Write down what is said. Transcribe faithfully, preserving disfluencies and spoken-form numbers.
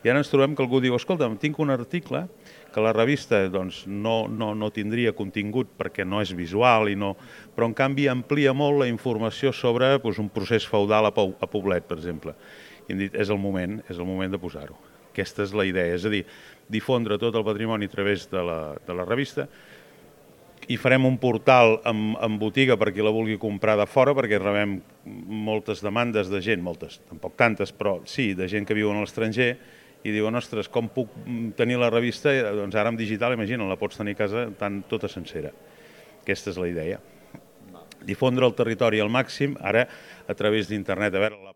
I ara ens trobem que algú diu, escolta, tinc un article que la revista doncs, no, no, no tindria contingut perquè no és visual, i no, però en canvi amplia molt la informació sobre doncs, un procés feudal a, Pou, a Poblet, per exemple. I hem dit, és el moment, és el moment de posar-ho. Aquesta és la idea, és a dir, difondre tot el patrimoni a través de la, de la revista, i farem un portal amb, amb botiga per qui la vulgui comprar de fora, perquè rebem moltes demandes de gent, moltes, tampoc tantes, però sí, de gent que viu a l'estranger, i diuen, ostres, com puc tenir la revista? Doncs ara amb digital, imagina, la pots tenir a casa tant tota sencera. Aquesta és la idea. Difondre el territori al màxim, ara a través d'internet. A veure, la